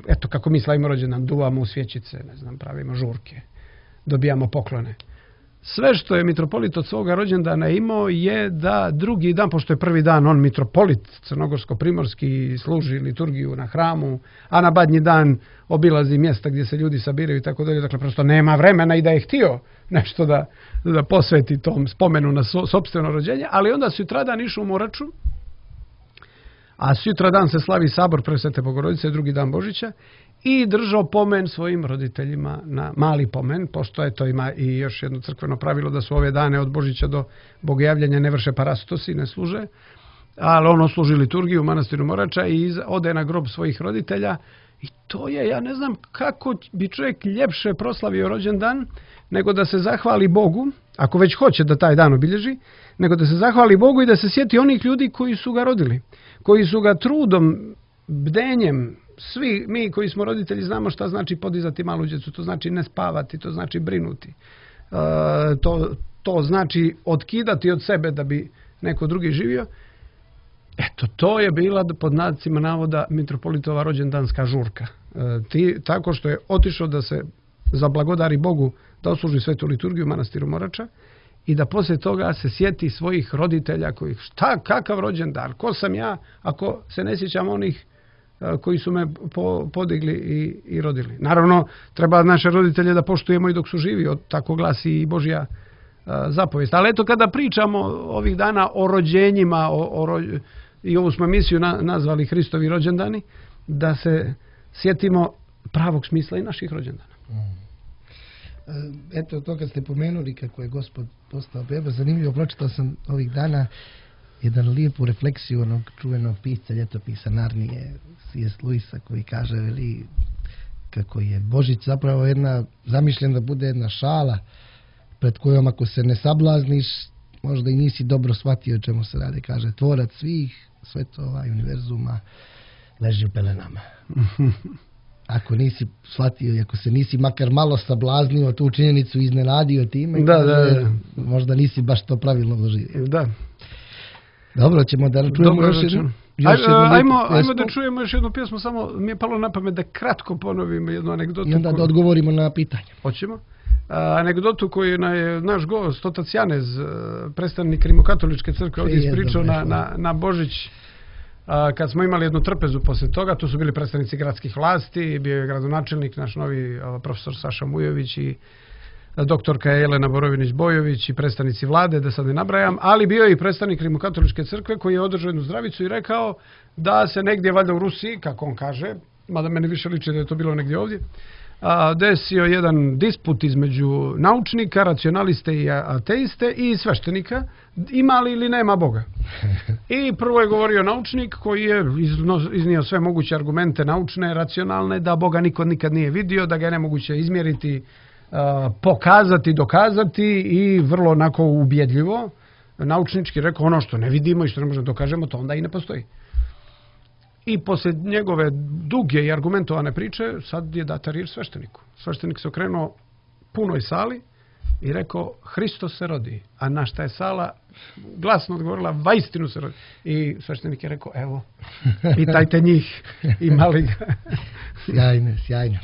eto kako mi slavimo rođendan, duvamo u svjećice, ne znam, pravimo žurke, dobijamo poklone. Sve što je mitropolit od svoga rođendana imao je da drugi dan, pošto je prvi dan on mitropolit crnogorsko-primorski, služi liturgiju na hramu, a na badnji dan obilazi mjesta gdje se ljudi sabiraju i tako dalje. Dakle, prosto nema vremena i da je htio nešto da, da posveti tom spomenu na so, sopstveno rođenje, ali onda sutradan išao u Moraču, a sutradan se slavi sabor Presvete Bogorodice, drugi dan Božića, i držao pomen svojim roditeljima na mali pomen, pošto je to ima i još jedno crkveno pravilo da su ove dane od Božića do Bogojavljanja ne vrše parastosi, ne služe, ali ono služi liturgiju u manastiru Morača i ode na grob svojih roditelja. I to je, ja ne znam kako bi čovjek ljepše proslavio rođendan nego da se zahvali Bogu, ako već hoće da taj dan obilježi, nego da se zahvali Bogu i da se sjeti onih ljudi koji su ga rodili, koji su ga trudom, bdenjem, svi mi koji smo roditelji znamo šta znači podizati malu djecu, to znači ne spavati, to znači brinuti, e, to, to znači otkidati od sebe da bi neko drugi živio. Eto, to je bila pod znacima navoda mitropolitova rođendanska žurka. E, ti, tako što je otišao da se zablagodari Bogu da osluži svetu liturgiju u manastiru Morača i da poslije toga se sjeti svojih roditelja kojih, šta, kakav rođendan, ko sam ja ako se ne sjećam onih koji su me po, podigli i, i rodili. Naravno, treba naše roditelje da poštujemo i dok su živi, od tako glasi i Božja a, zapovijest. Ali eto, kada pričamo ovih dana o rođenjima, o, o ro, i ovu smo emisiju na, nazvali Hristovi rođendani, da se sjetimo pravog smisla i naših rođendana. Mm. Eto, to kad ste pomenuli kako je Gospod postao beba, zanimljivo, pročitao sam ovih dana jedan lijepu refleksiju onog čuvenog pisca ljetopisa Narnije, C S. Lewisa, koji kaže veli, kako je Božić zapravo jedna, zamišljen da bude jedna šala pred kojom ako se ne sablazniš, možda i nisi dobro shvatio o čemu se radi. Kaže, tvorac svih svetova i univerzuma leži u pelenama. Ako nisi shvatio i ako se nisi makar malo sablaznio tu činjenicu, iznenadio time, da, kaže, da, da. možda nisi baš to pravilno doživio. Da. Dobro, ćemo da čujemo Dobro, još jednu. Aj, ajmo, ajmo da čujemo još jednu pjesmu, samo mi je palo na pamet da kratko ponovimo jednu anegdotu. I onda da odgovorimo na pitanje. Hoćemo. A, anegdotu koju je naš gost, otac Janez, predstavnik Rimokatoličke crkve, ovdje ispričao na, na, na Božić, a, kad smo imali jednu trpezu poslije toga. Tu su bili predstavnici gradskih vlasti, bio je gradonačelnik, naš novi a, profesor Saša Mujović i doktorka Jelena Borovinić-Bojović i predstavnici vlade, da sad ne nabrajam, ali bio je i predstavnik Rimokatoličke crkve koji je održao jednu zdravicu i rekao da se negdje, valjda u Rusiji, kako on kaže, mada meni više liči da je to bilo negdje ovdje, a, desio jedan disput između naučnika, racionaliste i ateiste i sveštenika, ima li ili nema Boga. I prvo je govorio naučnik koji je iznio sve moguće argumente naučne, racionalne, da Boga niko nikad nije vidio, da ga je nemoguće izmjeriti, Uh, pokazati, dokazati i vrlo onako ubjedljivo naučnički rekao ono što ne vidimo i što ne možemo dokažemo, to onda i ne postoji. I poslije njegove duge i argumentovane priče sad je data riječ svešteniku. Sveštenik se okrenuo punoj sali i rekao Hristos se rodi, a na šta je sala glasno odgovorila vaistinu se rodi. I sveštenik je rekao evo, pitajte njih, imali ga. Sjajno, sjajno.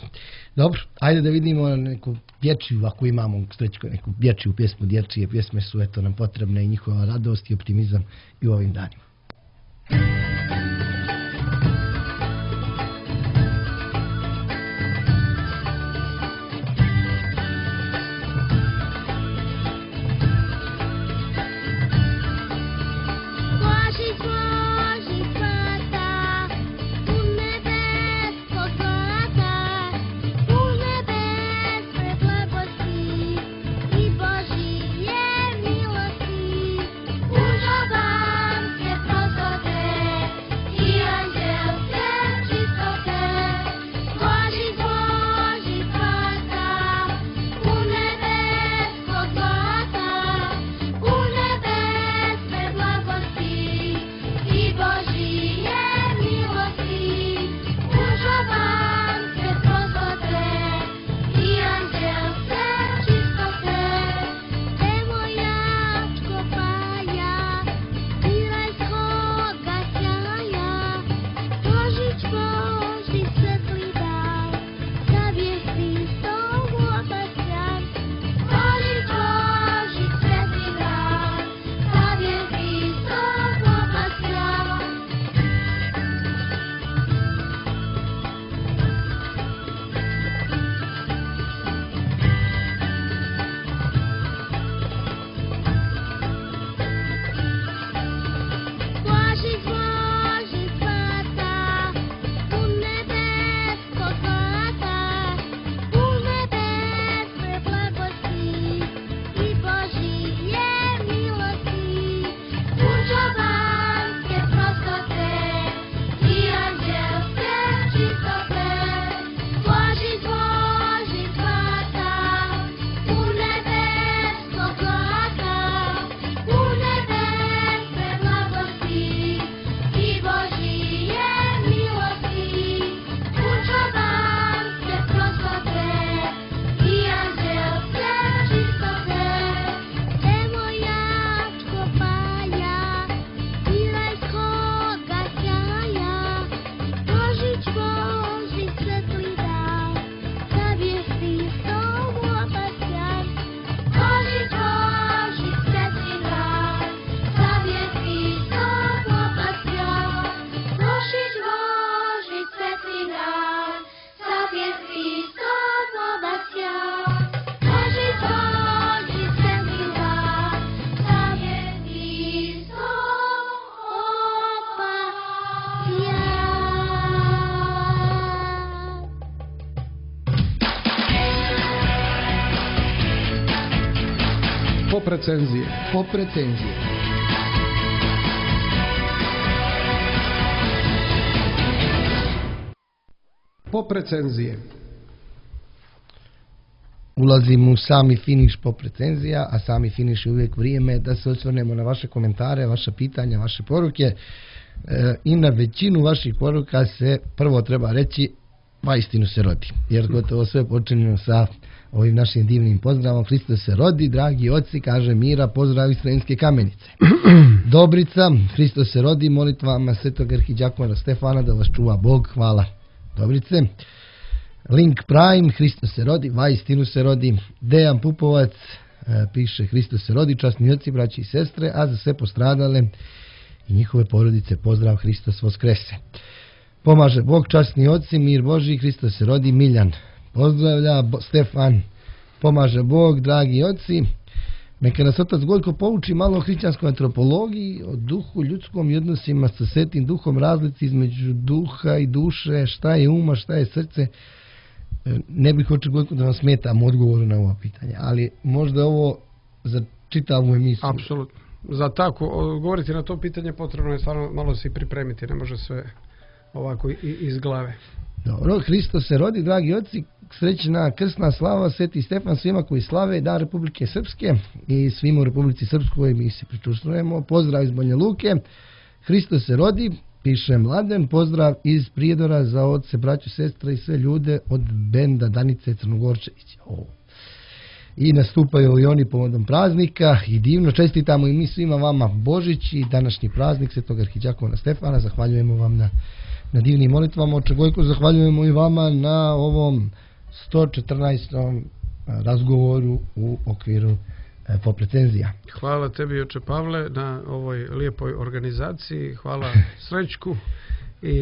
Dobro, ajde da vidimo neku dječju, ako imamo Srećko, neku dječju pjesmu. Dječje pjesme su eto nam potrebne i njihova radost i optimizam i u ovim danima. Božić, Božić, svata Pop recenzije. Pop recenzije. Pop recenzije. Ulazimo u sami finiš pop recenzija, a sami finiš je uvijek vrijeme da se osvrnemo na vaše komentare, vaše pitanja, vaše poruke. E, I na većinu vaših poruka se prvo treba reći ma istinu se rodi. Jer gotovo sve počinjeno sa ovim našim divnim pozdravom. Hristos se rodi, dragi oci, kaže Mira, pozdrav iz Sremske Kamenice. Dobrica, Hristos se rodi, molitvama svetog arhidijakona Stefana da vas čuva Bog, hvala Dobrice. Link Prime, Hristos se rodi, vaistinu se rodi. Dejan Pupovac e, piše Hristos se rodi, časni oci, braći i sestre, a za sve postradale i njihove porodice pozdrav, Hristos voskrese. Pomaže Bog, časni oci, mir Boži, Hristos se rodi, Miljan pozdravlja, Bo, Stefan, pomaže Bog, dragi oci. Neka nas otac Gojko pouči malo o hrišćanskoj antropologiji, o duhu ljudskom i odnosima sa svetim duhom, razlici između duha i duše, šta je uma, šta je srce. Ne bih hoće Gojko da vam smetam u odgovoru na ovo pitanje, ali možda ovo za čitavu emisiju. Apsolutno. Za tako odgovoriti na to pitanje potrebno je stvarno malo se i pripremiti, ne može sve ovako i, iz glave. Dobro, Hristos se rodi, dragi oci, srećna krsna slava, Sveti Stefan svima koji slave Dan Republike Srpske i svima u Republici Srpskoj mi se pričuštrujemo. Pozdrav iz Banja Luke, Hristos se rodi, piše Mladen, pozdrav iz Prijedora za oce, braću, sestre i sve ljude od benda Danice Crnogorčevića. O. I nastupaju i oni povodom praznika i divno čestitamo i mi svima vama Božić i današnji praznik Svetog arhidijakona Stefana. Zahvaljujemo vam na, na divnim molitvama. Oče Gojko, zahvaljujemo i vama na ovom sto četrnaestom razgovoru u okviru pop recenzija. Hvala tebi, oče Pavle, na ovoj lijepoj organizaciji. Hvala Srećku i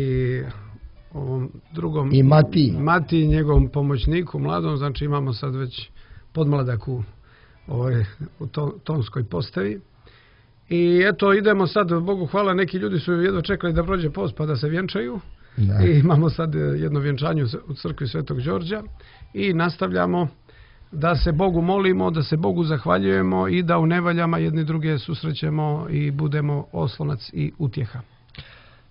ovom drugom i Mati. Mati i njegovom pomoćniku mladom. Znači imamo sad već podmladak u, ovoj, u to, tonskoj postavi. I eto, idemo sad, Bogu hvala, neki ljudi su jedva čekali da prođe post pa da se vjenčaju. Da. I imamo sad jedno vjenčanje u crkvi Svetog Đorđa i nastavljamo da se Bogu molimo, da se Bogu zahvaljujemo i da u nevaljama jedni druge susrećemo i budemo oslonac i utjeha.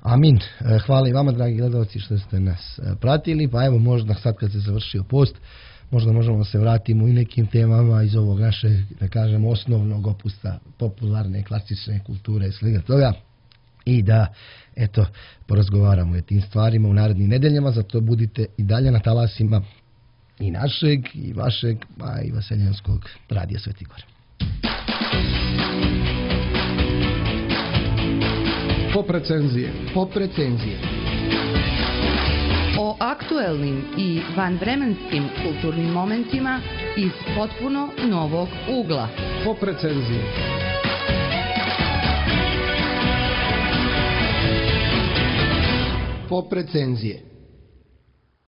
Amin. Hvala i vama, dragi gledalci, što ste nas pratili. Pa evo, možda sad kad se završio post, možda možemo da se vratimo i nekim temama iz ovog našeg, da kažemo, osnovnog opusta popularne, klasične kulture i svega toga. I da, eto, porazgovaramo o tim stvarima u narednim nedeljama, zato budite i dalje na talasima i našeg, i vašeg, a i Vaseljanskog radija Sveti Gor. Pop recenzije. Pop recenzije. O aktuelnim i vanvremenskim kulturnim momentima iz potpuno novog ugla. Pop recenzije. Pop recenzije.